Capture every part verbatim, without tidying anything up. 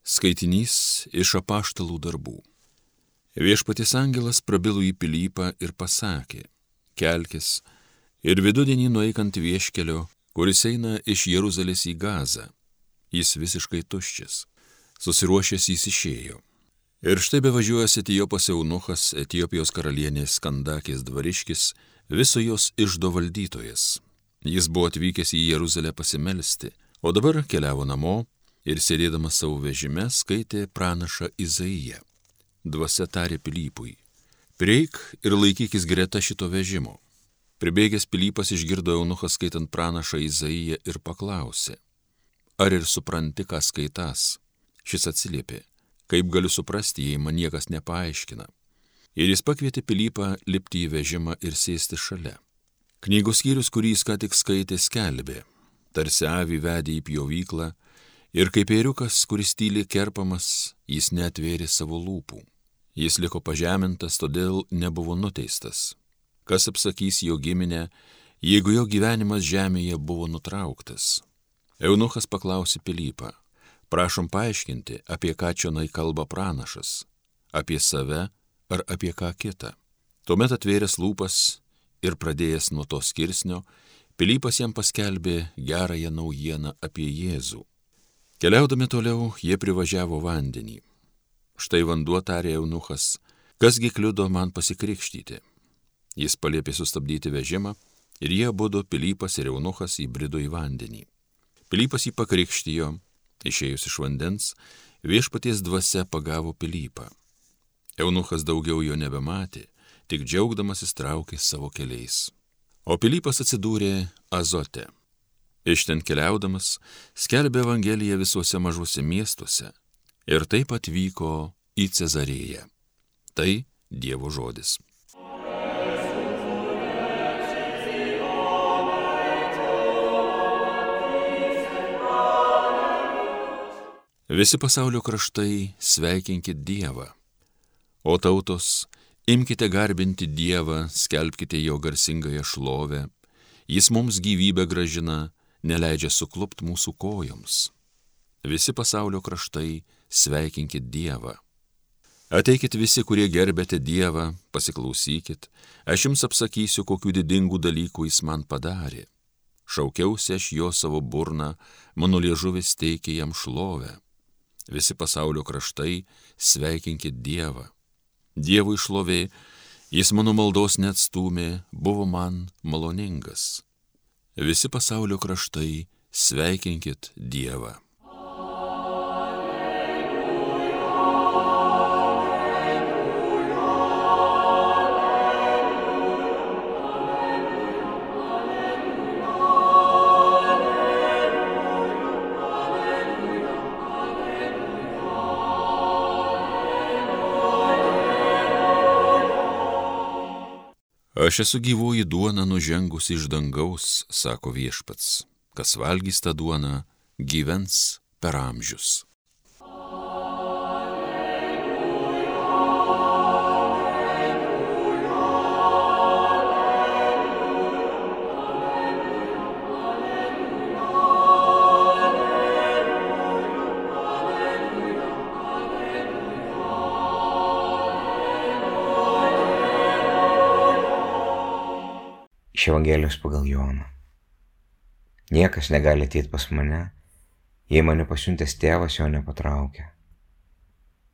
Skaitinys iš Apaštalų darbų. Viešpaties angelas prabilo į Pilypą ir pasakė: kelkis ir vidudienį nueik ant vieškelio, kuris eina iš Jeruzalės į Gazą. Jis visiškai tuščias. Susiruošęs jis išėjo. Ir štai bevažiuojas Etiopas eunuchas, Etiopijos karalienės Kandakės dvariškis, viso jos iždo valdytojas. Jis buvo atvykęs į Jeruzalę pasimelsti, o dabar keliavo namo ir sėdėdamas savo vežime skaitė pranašą Izaiją. Dvasia tarė Pilypui: prieik ir laikykis greta šito vežimo. Pribėgęs Pilypas išgirdo eunuchą skaitant pranašą Izaiją ir paklausė: ar ir supranti, ką skaitas? Šis atsiliepė: kaip galiu suprasti, jei man niekas nepaaiškina? Ir jis pakvietė Pilypą lipti į vežimą ir sėsti šalia. Knygos skyrius, kurį jis ką tik skaitė, skelbė: tarsi avį vedė į pjovyklą, ir kaip ėriukas, kuris tyliai kerpamas, jis neatvėrė savo lūpų. Jis liko pažemintas, todėl nebuvo nuteistas. Kas apsakys jo giminę, jeigu jo gyvenimas žemėje buvo nutrauktas? Eunuchas paklausė Pilypą: prašom paaiškinti, apie ką čionai kalba pranašas, apie save ar apie ką kitą? Tuomet atvėręs lūpas ir pradėjęs nuo to skirsnio, Pilypas jam paskelbė gerąją naujieną apie Jėzų. Keliaudami toliau, jie privažiavo vandenį. Štai vanduo, tarė eunuchas, kasgi kliudo man pasikrikštyti? Jis paliepė sustabdyti vežimą ir jie abudu, Pilypas ir eunuchas, įbrido į vandenį. Pilypas jį pakrikštijo, išėjus iš vandens, viešpaties dvasia pagavo Pilypą. Eunuchas daugiau jo nebematė, tik džiaugdamasis traukė savo keliais. O Pilypas atsidūrė Azote. Iš ten keliaudamas skelbė Evangeliją visuose mažuose miestuose ir taip atvyko į Cezarėją. Tai Dievo žodis. Visi pasaulio kraštai sveikinkit Dievą, o tautos, imkite garbinti Dievą, skelbkite jo garsingąją šlovę, jis mums gyvybę gražina, neleidžia suklupt mūsų kojoms. Visi pasaulio kraštai sveikinkit Dievą. Ateikit visi, kurie gerbėte Dievą, pasiklausykit, aš jums apsakysiu, kokių didingų dalykų jis man padarė. Šaukiausi aš jo savo burną, mano liežuvis teikė jam šlovę. Visi pasaulio kraštai sveikinkit Dievą. Dievui šlovė, jis mano maldos neatstūmė, buvo man maloningas. Visi pasaulio kraštai sveikinkit Dievą. Aš esu gyvoji duona nužengusi iš dangaus, sako viešpats. Kas valgys tą duoną, gyvens per amžius. Iš Evangelijos pagal Joną. Niekas negali ateiti pas mane, jei mane pasiuntęs tėvas jo nepatraukia.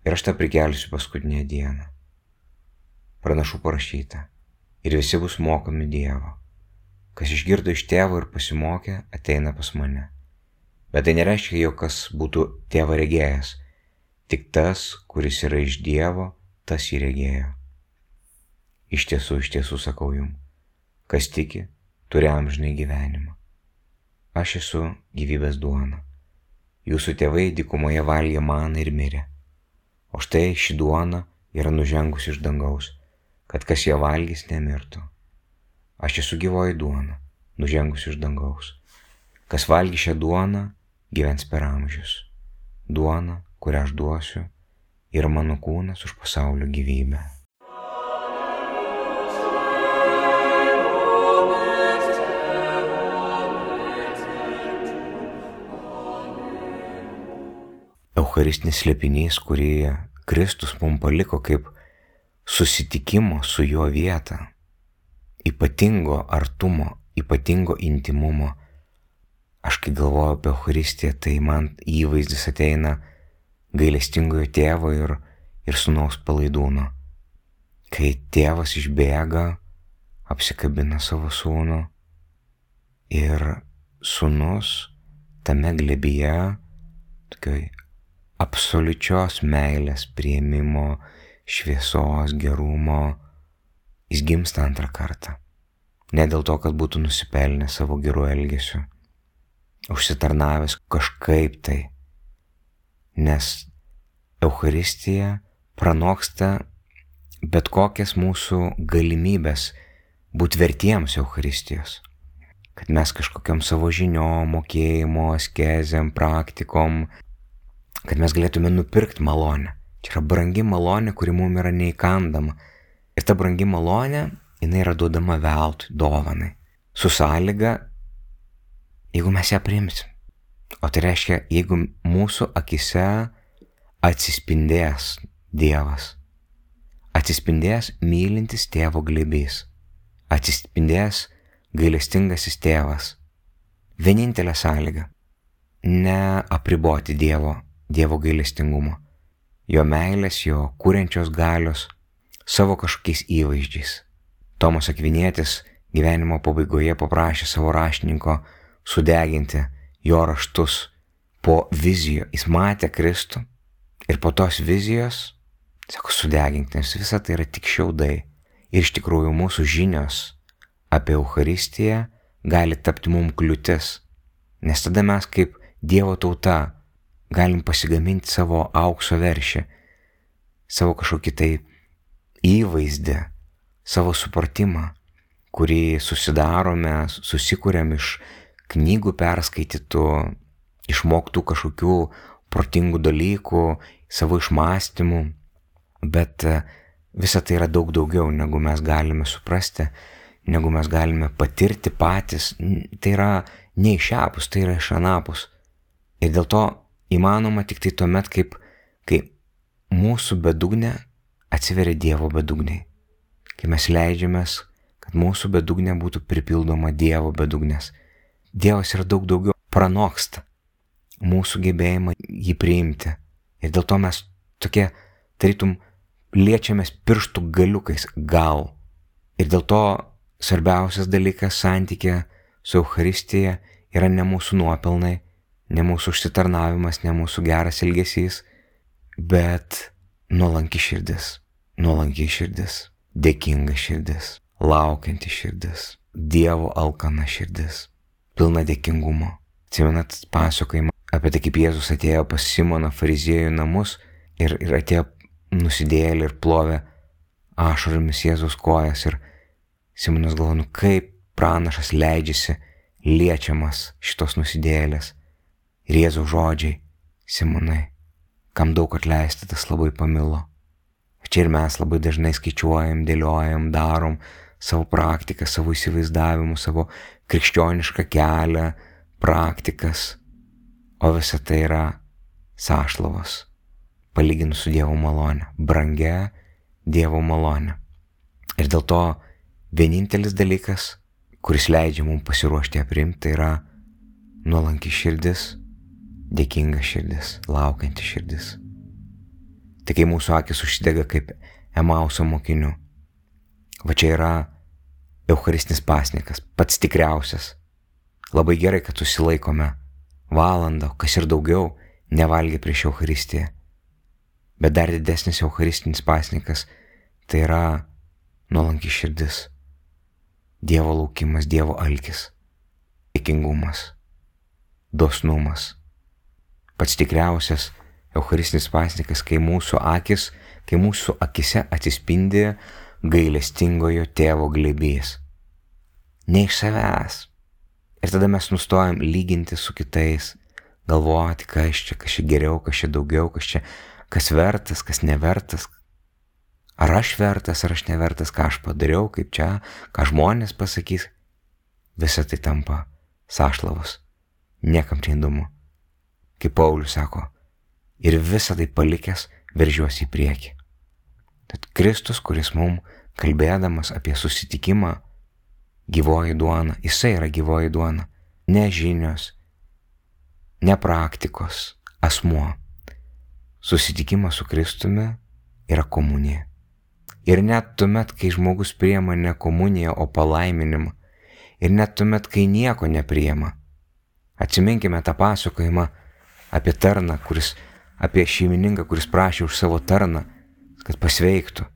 Ir aš tą prikelsiu paskutinę dieną. Pranašų parašyta, ir visi bus mokomi Dievo. Kas išgirdo iš tėvo ir pasimokė, ateina pas mane. Bet tai nereiškia, jog kas būtų tėvą regėjęs, tik tas, kuris yra iš Dievo, tas jį regėjo. Iš tiesų, iš tiesų sakau jums, kas tiki, turi amžinai gyvenimą. Aš esu gyvybės duona. Jūsų tėvai dykumoje valgė maną ir mirė. O štai ši duona yra nužengusi iš dangaus, kad kas ją valgys nemirtų. Aš esu gyvoji duona, nužengusi iš dangaus. Kas valgys šią duoną, gyvens per amžius. Duona, kurią aš duosiu, yra mano kūnas už pasaulio gyvybę. eucharistinis slėpinys, kurį Kristus mums paliko kaip susitikimo su juo vietą, ypatingo artumo, ypatingo intimumo. Aš kai galvoju apie Eucharistiją, tai man įvaizdis ateina gailestingojo tėvo ir, ir sūnaus palaidūno. Kai tėvas išbėga, apsikabina savo sūnų ir sūnus tame glėbyje, tokioj absoliučios meilės, priėmimo, šviesos, gerumo, jis gimsta antrą kartą. Ne dėl to, kad būtų nusipelnęs savo gerų elgesių, užsitarnavęs kažkaip tai, nes Eucharistija pranoksta bet kokias mūsų galimybės būti vertiems Eucharistijos. Kad mes kažkokiam savo žiniom, mokėjimo, askezėm, praktikom, kad mes galėtume nupirkti malonę. Čia yra brangi malonė, kuri mums yra neįkandama. Ir ta brangi malonė, jinai yra duodama veltui, dovanai. Su sąlyga, jeigu mes ją priimsim. O tai reiškia, jeigu mūsų akise atsispindės Dievas, atsispindės mylintis tėvo glėbys, atsispindės gailestingasis tėvas. Vienintelė sąlyga - neapriboti Dievo, Dievo gailestingumo, jo meilės, jo kuriančios galios savo kažkokiais įvaizdžiais. Tomas Akvinietis gyvenimo pabaigoje paprašė savo raštininko sudeginti jo raštus po vizijų. Jis matė Kristų ir po tos vizijos, sako, sudeginti, nes visa tai yra tik šiaudai. Ir iš tikrųjų mūsų žinios apie Eucharistiją gali tapti mums kliūtis, nes tada mes kaip Dievo tauta galim pasigaminti savo aukso veršį, savo kažkokį tai įvaizdį, savo supratimą, kurį susidarome, susikuriam iš knygų perskaitytų, išmoktų kažkokių protingų dalykų, savo išmąstymų, bet visa tai yra daug daugiau, negu mes galime suprasti, negu mes galime patirti patys. Tai yra ne iš šiapus, tai yra iš anapus. Ir dėl to įmanoma tik tai tuomet, kaip, kai mūsų bedugnė atsiveria Dievo bedugniai. Kai mes leidžiamės, kad mūsų bedugnė būtų pripildoma Dievo bedugnės. Dievas yra daug daugiau, pranoksta mūsų gebėjimą jį priimti. Ir dėl to mes tokie, tarytum, liečiamės pirštų galiukais gal. Ir dėl to svarbiausias dalykas santykė su Eucharistija yra ne mūsų nuopelnai, ne mūsų užsitarnavimas, ne mūsų geras elgesys, bet nuolanki širdis, nuolanki širdis, dėkinga širdis, laukianti širdis, Dievo alkana širdis, pilna dėkingumo. Atsimenat pasakojimą apie tai, kaip Jėzus atėjo pas Simoną fariziejų namus ir, ir atėjo nusidėjėlį ir plovė ašaromis Jėzaus kojas. Ir Simonas galvoja, nu kaip pranašas leidžiasi liečiamas šitos nusidėjėlės. Ir Jėzaus žodžiai, Simonai, kam daug atleista, tas labai pamilo. Čia ir mes labai dažnai skaičiuojam, dėliojam, darom savo praktiką, savo įsivaizdavimus, savo krikščionišką kelią, praktikas, o visa tai yra sąšlavos, palyginus su Dievo malone, brangia Dievo malone. Ir dėl to vienintelis dalykas, kuris leidžia mums pasiruošti ją priimti, tai yra nuolanki širdis, dėkinga širdis, laukianti širdis. Tai kai mūsų akis užsidega kaip Emauso mokinių, va čia yra eucharistinis pasninkas, pats tikriausias. Labai gerai, kad susilaikome valandą, kas ir daugiau, nevalgė prieš Eucharistiją. Bet dar didesnis eucharistinis pasninkas tai yra nuolanki širdis, Dievo laukimas, Dievo alkis, dėkingumas, dosnumas. Pats tikriausias eucharistinis pasninkas, kai mūsų akis, kai mūsų akise atsispindi gailestingojo tėvo glėbys. Ne iš savęs. Ir tada mes nustojam lyginti su kitais, galvoti, kas čia, kas čia geriau, kas čia daugiau, kas čia, kas vertas, kas nevertas. Ar aš vertas, ar aš nevertas, ką aš padariau, kaip čia, ką žmonės pasakys. Visa tai tampa sąšlavos. Niekam čia įdomu. Kaip Paulius sako, ir visą tai palikęs veržiuosi į priekį. Tad Kristus, kuris mums kalbėdamas apie susitikimą, gyvoji duona, jisai yra gyvoji duona, ne žinios, ne praktikos, asmuo. Susitikimas su Kristumi yra komunija. Ir net tuomet, kai žmogus priima ne komuniją, o palaiminimą, ir net tuomet, kai nieko nepriima. Atsiminkime tą pasakojimą apie tarną, kuris, apie šeimininką, kuris prašė už savo tarną, kad pasveiktų.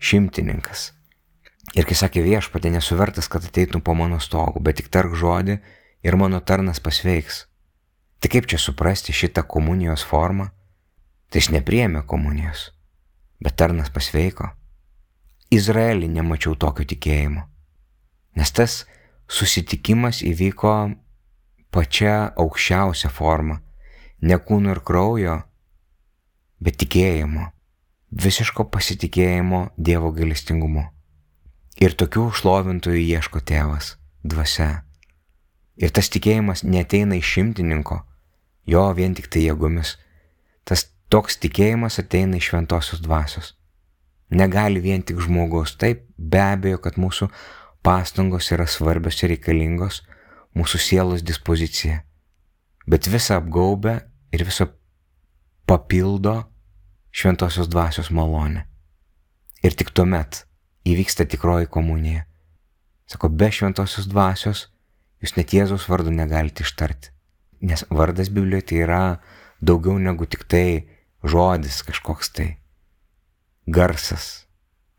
Šimtininkas. Ir kai sakė viešpatie, nesu vertas, kad ateitum po mano stogu, bet tik tark žodį ir mano tarnas pasveiks. Tai kaip čia suprasti šitą komunijos formą? Tai jis nepriėmė komunijos, bet tarnas pasveiko. Izraelį nemačiau tokio tikėjimo, nes tas susitikimas įvyko pačia aukščiausia forma, ne kūno ir kraujo, bet tikėjimo, visiško pasitikėjimo Dievo gailestingumu. Ir tokių šlovintojų ieško Tėvas, dvasia. Ir tas tikėjimas neateina iš šimtininko, jo vien tik tai jėgomis. Tas toks tikėjimas ateina iš šventosios dvasios. Negali vien tik žmogus. Taip, be abejo, kad mūsų pastangos yra svarbios ir reikalingos, mūsų sielos dispozicija. Bet visą apgaubia ir visą papildo šventosios dvasios malonė. Ir tik tuomet įvyksta tikroji komunija. Sako, be šventosios dvasios jūs net Jėzaus vardo negalite ištarti. Nes vardas Biblijoje tai yra daugiau negu tik tai žodis, kažkoks tai garsas,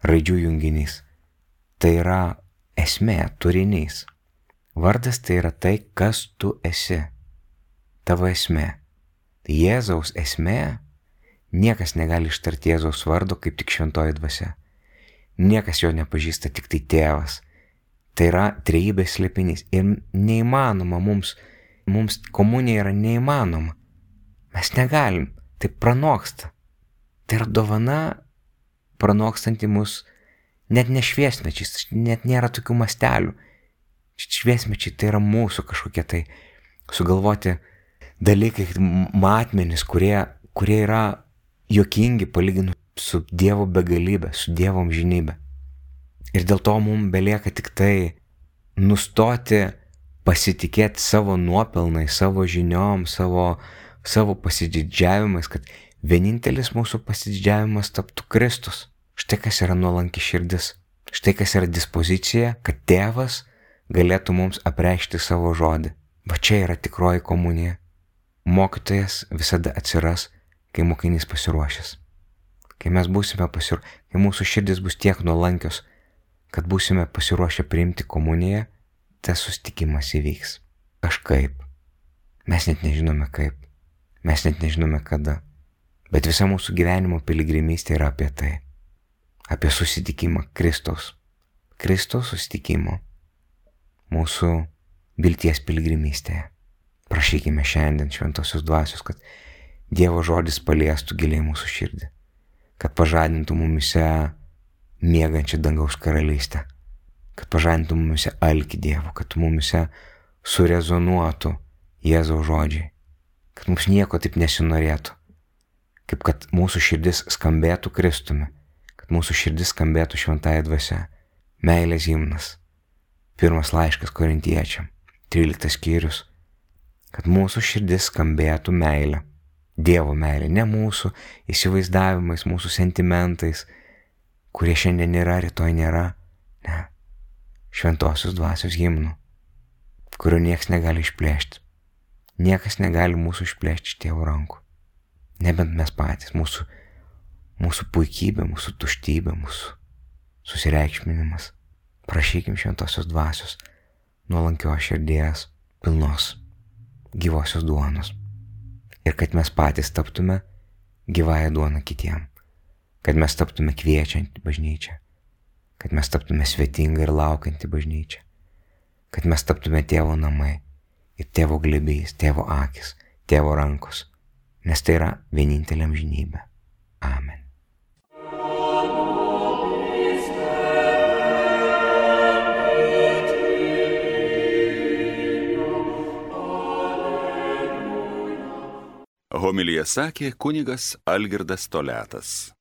raidžių junginys. Tai yra esmė, turinys. Vardas tai yra tai, kas tu esi. Tavo esmė. Tai Jėzaus esmė, niekas negali ištarti Jėzaus vardo kaip tik šventoji dvasia. Niekas jo nepažįsta, tik tai Tėvas. Tai yra trejybės slėpinys. Ir neįmanoma mums, mums komunija yra neįmanoma. Mes negalim, tai pranoksta. Tai yra dovana pranokstanti mus net ne šviesmečiais, net nėra tokių mastelių. Šviesmečiai tai yra mūsų kažkokie tai sugalvoti dalykai, matmenys, kurie, kurie yra juokingi palyginus su Dievo begalybė, su Dievo amžinybė. Ir dėl to mums belieka tik tai nustoti pasitikėti savo nuopelnai, savo žiniom, savo, savo pasididžiavimais, kad vienintelis mūsų pasididžiavimas taptų Kristus. Štai kas yra nuolanki širdis. Štai kas yra dispozicija, kad Tėvas galėtų mums apreikšti savo žodį. Va čia yra tikroji komunija. Mokytojas visada atsiras, kai mokinys pasiruošęs. Kai mes būsime pasiruošę, kai mūsų širdis bus tiek nuolankios, kad būsime pasiruošę priimti komuniją, tas susitikimas įvyks. Kažkaip. Mes net nežinome kaip. Mes net nežinome kada. Bet visa mūsų gyvenimo piligrimystė yra apie tai. Apie susitikimą Kristaus. Kristaus susitikimo. Mūsų vilties piligrimystėje. Prašykime šiandien šventosios dvasios, kad Dievo žodis paliestų giliai mūsų širdį. Kad pažadintų mumise miegančią dangaus karalystę. Kad pažadintų mumise alkį Dievo. Kad mumise surezonuotų Jėzaus žodžiai. Kad mums nieko taip nesinorėtų. Kaip kad mūsų širdis skambėtų Kristumi. Kad mūsų širdis skambėtų šventąja dvasia. Meilės himnas. Pirmas laiškas korintiečiam. Tryliktas skyrius. Kad mūsų širdis skambėtų meilę. Dievo meilė, ne mūsų įsivaizdavimais, mūsų sentimentais, kurie šiandien yra, rytoj nėra. Ne. Šventosios dvasios himnų, kurio niekas negali išplėšti. Niekas negali mūsų išplėšti iš Tėvo rankų. Nebent mes patys, mūsų, mūsų puikybė, mūsų tuštybė, mūsų susireikšminimas. Prašykim šventosios dvasios, nuolankios širdies, pilnos, gyvosios duonos. Ir kad mes patys taptume gyvąją duoną kitiem. Kad mes taptume kviečiantį bažnyčią. Kad mes taptume svetingą ir laukiantį bažnyčią. Kad mes taptume Tėvo namai ir Tėvo glėbys, Tėvo akis, Tėvo rankos. Nes tai yra vienintelė amžinybė. Amen. Homiliją sakė kunigas Algirdas Toliatas.